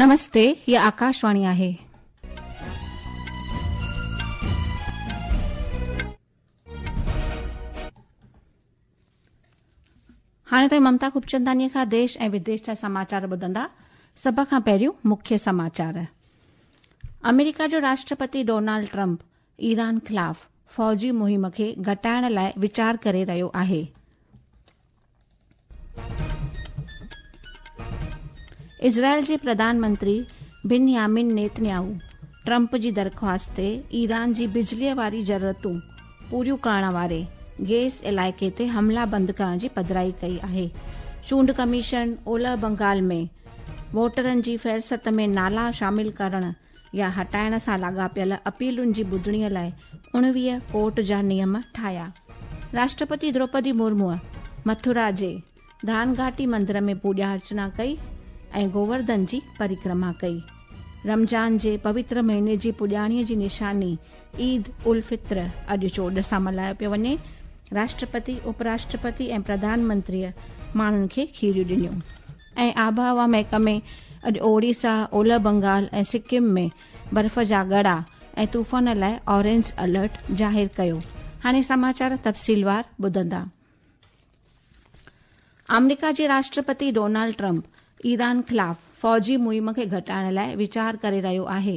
नमस्ते, हीअ आकाशवाणी आहे. हाणे तव्हीं ममता खूबचंदानीअ खां देश ऐं विदेश जा समाचार ॿुधंदा। सभ खां पहिरियों मुख्य समाचार। अमेरिका जो राष्ट्रपति डोनाल्ड ट्रंप ईरान ख़िलाफ़ फ़ौजी मुहिम खे घटाइण लाइ वीचार करे रहियो आहे। इज़राइल जे प्रधानमंत्री बिनयामिन नेतन्याहू ट्रंप जी दरख़्वास्त ते ईरान जी बिजलीअ वारी ज़रूरतूं पूरियूं करण वारे गैस इलाइक़े ते हमला बंदि करण जी पधराई कई आहे। चूंड कमीशन ओलह बंगाल में वोटरनि जी फ़हरिस्त में नाला शामिल करण या हटाइण सां लाॻापियल अपीलुनि जी ॿुधणीअ लाइ 19 कोर्ट जा नियम ठाहिया। राष्ट्रपति द्रौपदी मुर्मूअ मथुरा जे दानघाटी मंदिर में पूॼा अर्चना कई ऐं गोवर्धन जी परिक्रमा कई। रमज़ान जे पवित्र महीने जी पुॼाणीअ जी निशानी ईद उल फ़ित्र अॼु चोॾ सां मल्हायो पियो वञे। राष्ट्रपति, उपराष्ट्रपति ऐं प्रधानमंत्रीअ माण्हुनि खे खीरियूं ॾिनियूं। ऐं आबहवा महकमे अॼु ओडिशा, ओलह बंगाल ऐं सिक्किम में बर्फ़ जा ॻड़ा ऐं तूफ़ान लाइ ऑरेंज अलर्ट ज़ाहिर कयो। हाणे समाचार तफ़सीलवार ॿुधंदा। आमेरिका जे राष्ट्रपति डोनाल्ड ट्रंप ईरान ख़िलाफ़ फ़ौजी मुहिम खे घटाइण लाइ वीचार करे रहियो आहे।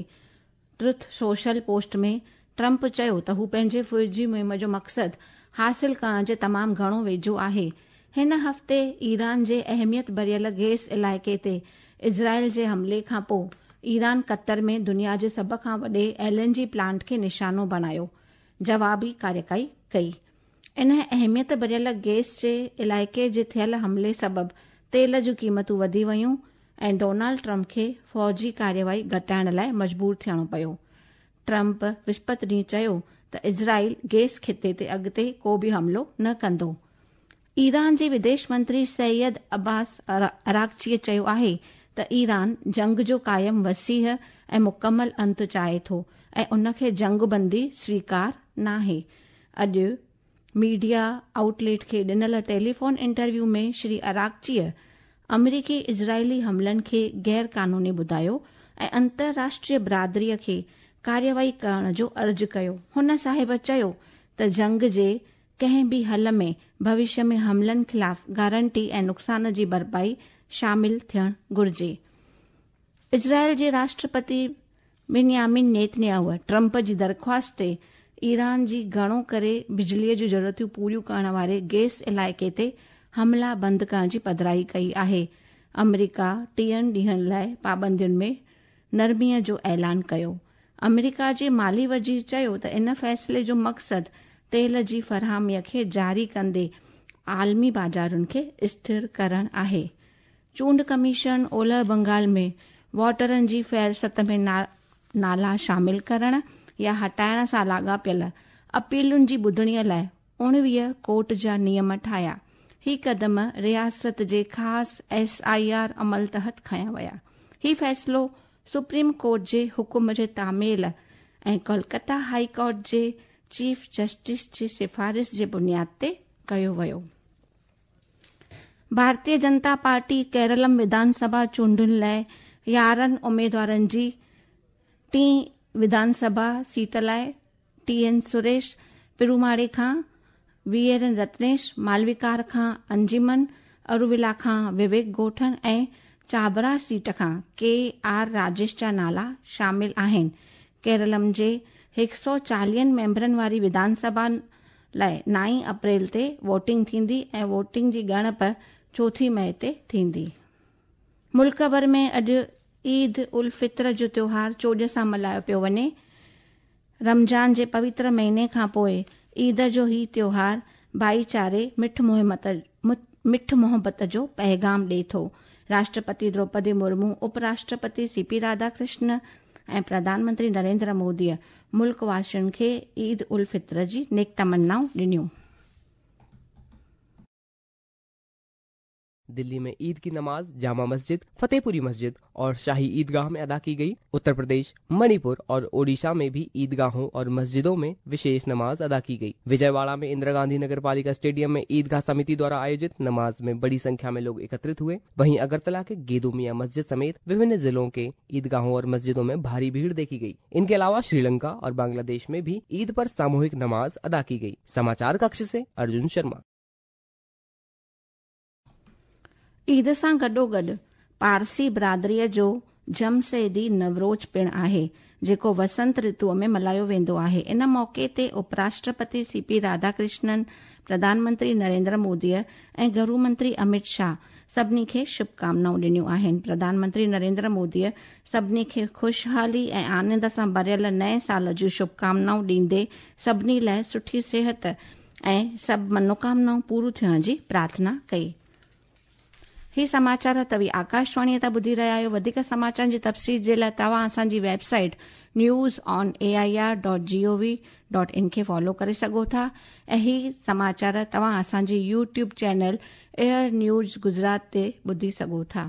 ट्रुथ सोशल पोस्ट में ट्रंप चयो त हू पंहिंजे फ़ौजी मुहिम जो मक़सदु हासिल करण जे तमामु घणो वेझो आहे। हिन हफ़्ते ईरान जे अहमियत भरियल गैस इलाइक़े ते इज़राइल जे हमले खां पोइ ईरान क़तर में दुनिया जे सभ खां वॾे एल.एन.जी प्लांट खे निशानो बणायो जवाबी कार्यवाही कई। इन अहमियत भरियल गैस जे इलाइक़े जे थियल हमले सबबु तेल जूं क़ीमतूं वधी वयूं ऐं डोनाल्ड ट्रंप खे फ़ौजी कार्यवाही घटाइण लाइ मजबूर थियणो पियो। ट्रंप विस्पति ॾींहुं चयो त इज़राइल गैस ख़िते ते अॻिते को बि हमलो न कंदो। ईरान जे विदेश मंत्री सैयद अब्बास अराक़चीअ चयो आहे त ईरान जंग जो क़ाइम वसीह ऐं मुकमल अंत चाहे थो ऐं उनखे जंगबंदी स्वीकार नाहे। अॼु मीडिया आउटलेट खे ॾिनल टेलीफोन इंटरव्यू में श्री अराक़चीअ अमरीकी इज़राइली हमलनि खे ग़ैर क़ानूनी ॿुधायो ऐं अंतर्राष्ट्रीय बिरादरीअ खे कार्यवाही करण जो अर्ज़ु कयो। हुन साहिब चयो त जंग जे कंहिं बि हल में भविष्य में हमलनि ख़िलाफ़ गारंटी ऐं नुक़सान जी भरपाई शामिल थियणु घुरिजे। इज़राइल जे राष्ट्रपति बिनयामिन नेतन्याहू ट्रंप जी दरख़्वास्त ते ईरान जी घणो करे बिजलीअ जूं ज़रूरतूं पूरियूं करण वारे गैस इलाइक़े ते हमला बंदि करण जी पधराई कई आहे। अमरीका 30 ॾींहनि लाइ पाबंदियुनि में नरमीअ जो ऐलान कयो। अमरीका जे माली वज़ीर चयो त इन फ़ैसिले जो मक़सदु तेल जी फराहमीअ खे जारी कंदे आलमी बाज़ारुनि खे स्थिर करणु आहे। चूंड कमीशन ओलह बंगाल में वोटरनि जी फ़हरिस्त में नाला शामिल करण या हटाइण सां लाॻापियल अपीलुनि जी ॿुधणीअ लाइ 19 कोर्ट जा नियम ठाहिया। ही क़दम रियासत जे ख़ासि एस.आई.आर अमल तहत खयां विया। ही फ़ैसिलो सुप्रीम कोर्ट जे हुकुम जे तामील ऐं कोलकाता हाई कोर्ट जे चीफ जस्टिस जी सिफारिश जे बुनियाद ते कयो वियो। भारतीय जनता पार्टी केरलम विधानसभा चूंडुनि लाइ 11 उमेदवारनि जी टीं विधानसभा सीट लाइ टी.एन. सुरेश पिरुमाड़े खां, वी.एन. रत्नेश मालविकार खां, अंजिमन अरुविला खां विवेक गोठन ऐं चाबरा सीट खां के.आर. राजेश जा नाला शामिल आहिनि। केरलम जे 140 मेंबरनि वारी विधानसभा लाइ 9 अप्रैल ते वोटिंग थींदी ऐं वोटिंग जी ॻणप 4 मई ते थींदी। मुल्क भर में अॼु ईद उल फ़ित्र जो त्योहार चोॾ सां मल्हायो पियो वञे। रमज़ान जे पवित्र महीने खां पोइ ईद जो ही त्योहार भाईचारे मिठ मोहबत जो पैगाम ॾिए थो। राष्ट्रपति द्रौपदी मुर्मू, उपराष्ट्रपति सी.पी. राधाकृष्ण ऐं प्रधानमंत्री नरेंद्र मोदीअ मुल्क वासियुनि खे ईद उल फ़ित्र जी नेक तमन्नाऊं ॾिनियूं। दिल्ली में ईद की नमाज जामा मस्जिद, फतेहपुरी मस्जिद और शाही ईदगाह में अदा की गई। उत्तर प्रदेश, मणिपुर और ओडिशा में भी ईदगाहों और मस्जिदों में विशेष नमाज अदा की गई। विजयवाड़ा में इंदिरा गांधी नगर पालिका स्टेडियम में ईदगाह समिति द्वारा आयोजित नमाज में बड़ी संख्या में लोग एकत्रित हुए। वहीं अगरतला के गेदो मियां मस्जिद समेत विभिन्न जिलों के ईदगाहों और मस्जिदों में भारी भीड़ देखी गई। इनके अलावा श्रीलंका और बांग्लादेश में भी ईद पर सामूहिक नमाज अदा की गई। समाचार कक्ष से अर्जुन शर्मा। ईद सां गॾोगॾु पारसी बिरादरीअ जो जमशेदी नवरोज़ पिणु आहे, जेको वसंत ऋतूअ में मल्हायो वेंदो आहे। इन मौक़े ते उपराष्ट्रपति सीपी राधाकृष्णन, प्रधानमंत्री नरेंद्र मोदीअ ऐं गृह मंत्री अमित शाह सभिनी खे शुभकामनाऊं ॾिनियूं आहिनि। प्रधानमंत्री नरेंद्र मोदीअ सभिनी खे ख़ुशहाली ऐं आनंद सां भरियल नएं साल जूं शुभकामनाऊं ॾींदे सभिनी लाइ सुठी सिहत ऐं सभु मनोकामनाऊं पूरियूं थियण जी प्रार्थना कई। ही समाचार तव्हीं आकाशवाणीअ तां ॿुधी रहिया आहियो। वधीक समाचारनि जी तफ़सील जे लाइ तव्हां असांजी website newsonair.gov.in खे फॉलो करे सघो था ऐं ही समाचार तव्हां असांजी YouTube channel AIR news Gujarat ते ॿुधी सघो था।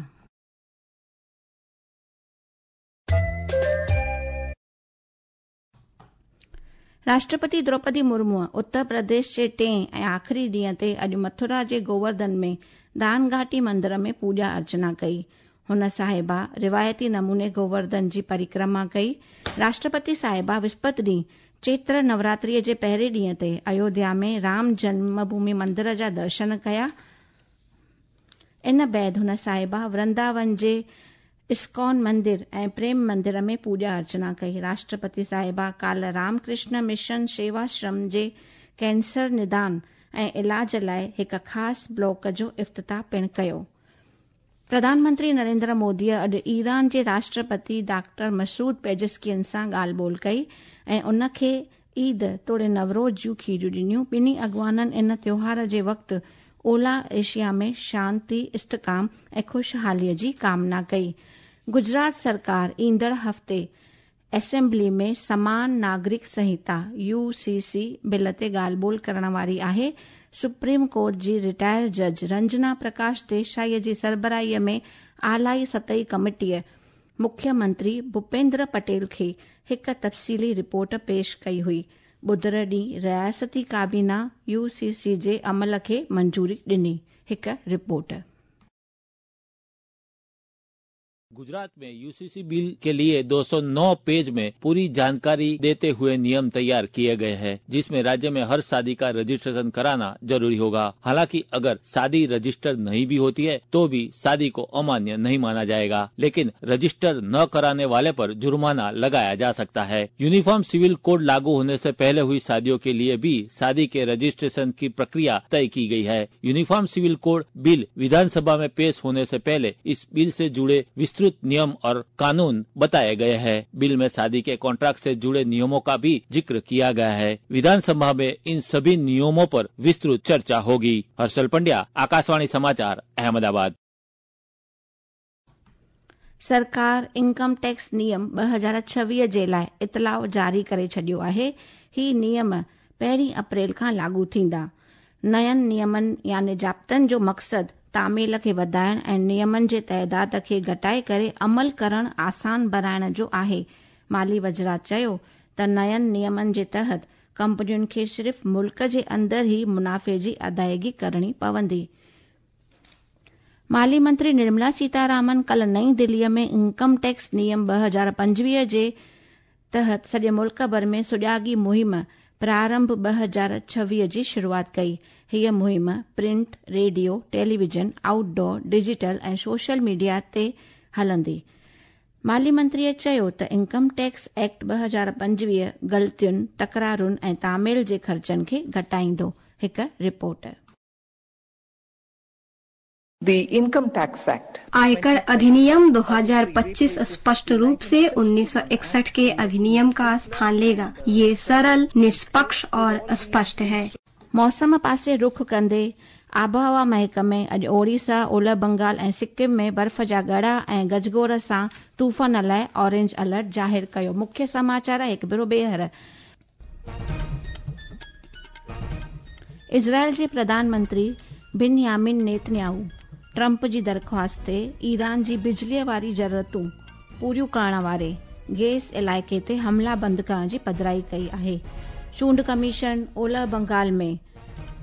राष्ट्रपति द्रौपदी मुर्मू उत्तर प्रदेश जे टें ऐं आख़िरी ॾींहं ते अॼु मथुरा जे गोवर्धन में दान घाटी मंदिर में पूॼा अर्चना कई। हुन साहिबा रिवायती नमूने गोवर्धन जी परिक्रमा कई। राष्ट्रपति साहिबा विस्पत ॾींहुं चैत्र नवरात्रीअ जे पहिरें ॾींहं ते अयोध्या में राम जन्मभूमि मंदिर जा दर्शन कया। इन बाद हुन साहिबा वृंदावन जे इस्कॉन मंदिर ऐं प्रेम मंदिर में पूॼा अर्चना कई। राष्ट्रपति साहिबा काल्ह रामकृष्ण मिशन सेवाश्रम जे कैंसर निदान ऐं इलाज लाइ हिकु ख़ासि ब्लॉक जो इफ़्तिताह पिणु कयो। प्रधानमंत्री नरेंद्र मोदीअ अॼु ईरान जे राष्ट्रपति डॉक्टर मसूद पेज़ेश्कियन सां ॻाल्हि ॿोल कई ऐं उन खे ईद तोड़े नवरोज़ जूं खीरियूं ॾिनियूं। ॿिन्ही अॻवाननि इन त्योहार जे वक़्तु ओला एशिया में शांति, इस्तिकाम ऐं ख़ुशहालीअ जी कामना कई। गुजरात सरकार ईंदड़ हफ़्ते असेंबली में समान नागरिक संहिता यूसीसी बिल ते ॻाल्हि ॿोल करण वारी आहे। सुप्रीम कोर्ट जी रिटायर जज रंजना प्रकाश देसाईअ जी सरबराहीअ में आलाई सतही कमिटीअ मुख्यमंत्री भूपेंद्र पटेल खे हिकु तफ़सीली रिपोर्ट पेश कई हुई। ॿुधर ॾींहुं रियासती काबीना यूसीसी जे अमल खे मंजूरी ॾिनी। हिकु रिपोर्ट। गुजरात में यूसीसी बिल के लिए 209 पेज में पूरी जानकारी देते हुए नियम तैयार किए गए हैं, जिसमें राज्य में हर शादी का रजिस्ट्रेशन कराना जरूरी होगा। हालांकि अगर शादी रजिस्टर नहीं भी होती है तो भी शादी को अमान्य नहीं माना जाएगा, लेकिन रजिस्टर न कराने वाले पर जुर्माना लगाया जा सकता है। यूनिफॉर्म सिविल कोड लागू होने से पहले हुई शादियों के लिए भी शादी के रजिस्ट्रेशन की प्रक्रिया तय की गई है। यूनिफॉर्म सिविल कोड बिल विधानसभा में पेश होने से पहले इस बिल से जुड़े विस्तृत नियम और कानून बताए गए हैं। बिल में शादी के कॉन्ट्रैक्ट से जुड़े नियमों का भी जिक्र किया गया है। विधानसभा में इन सभी नियमों पर विस्तृत चर्चा होगी। हर्षल पंड्या, आकाशवाणी समाचार, अहमदाबाद। सरकार इनकम टैक्स नियम 2026 जे लाइ इतलाउ जारी करे छॾियो आहे। ही नियम 1 अप्रैल खां लागू थींदा। नयनि नियमनि यानी ज़ाब्तनि जो मक़सदु तामील खे वधाइण ऐं नियमनि जे तइदाद खे घटाए करे अमल करण आसान बणाइण जो आहे। माली वज़रा चयो त नयनि नियमनि जे तहत कंपनियुनि खे सिर्फ़ मुल्क जे अंदरि ई मुनाफ़े जी अदायगी करणी पवंदी। माली मंत्री निर्मला सीतारामन कल नई दिल्लीअ में इनकम टैक्स नियम 2025 जे तहत सॼे मुल्क भर में सुॼागी मुहिम प्रारंभ 2026 जी शुरूआत कई। हीअ मुहिम print, radio, television, outdoor, digital ऐं सोशल मीडिया ते हलंदी। माली मंत्रीअ चयो त इनकम टैक्स एक्ट 2025 ग़लतियुनि, तकरारुनि ऐं तामील जे ख़र्चनि खे घटाईंदो। हिकु report. The Income Tax Act आयकर अधिनियम 2025 स्पष्ट रूप से 1961 के अधिनियम का स्थान लेगा। ये सरल, निष्पक्ष और स्पष्ट है। मौसम पासे रुख कंदे आबहवा महकमे अॼु ओडिशा, ओलह बंगाल ऐं सिक्किम में बर्फ़ जा ॻड़ा ऐं गजगोर सां तूफ़ान लाइ ऑरेंज अलर्ट ज़ाहिर कयो। मुख्य समाचार हिकु भेरो ॿीहर। इज़राइल जे प्रधानमंत्री बिनयामिन नेतन्याहू ट्रंप जी दरख़्वास्त ते ईरान जी बिजलीअ वारी ज़रूरतूं पूरियूं करण वारे गैस इलाइक़े ते हमला बंदि करण जी पधराई कई आहे। चूंड कमीशन ओलह बंगाल में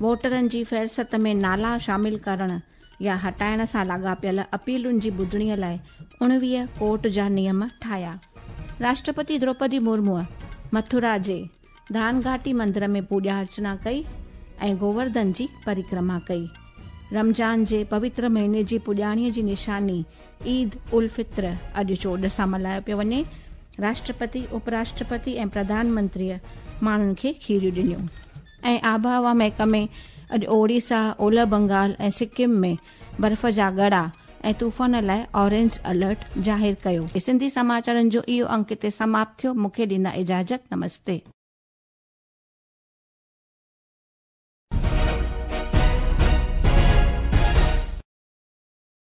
वोटरनि जी फ़हरिस्त में नाला शामिल करण या हटाइण सां लाॻापियल अपीलुनि जी ॿुधणीअ लाइ 19 कोर्ट जा नियम ठाहिया। राष्ट्रपति द्रौपदी मुर्मूअ मथुरा जे दानघाटी मंदिर में पूॼा अर्चना कई ऐं गोवर्धन जी परिक्रमा कई। रमज़ान जे पवित्र महीने जी पुॼाणीअ जी निशानी ईद उल फित्र अॼु चोॾ सां मल्हायो पियो वञे। राष्ट्रपति, उपराष्ट्रपति ऐं प्रधानमंत्रीअ माण्हुनि खे खीरियूं ॾिनियूं। ऐं आबहवा महकमे अॼु ओडिशा, ओलह बंगाल ऐं सिक्किम में बर्फ़ जा ॻड़ा ऐं तूफ़ान लाइ ऑरेंज अलर्ट ज़ाहिर कयो। सिंधी समाचारनि जो इहो अंक हिते समाप्त थियो। मूंखे ॾींदा इजाज़त। नमस्ते।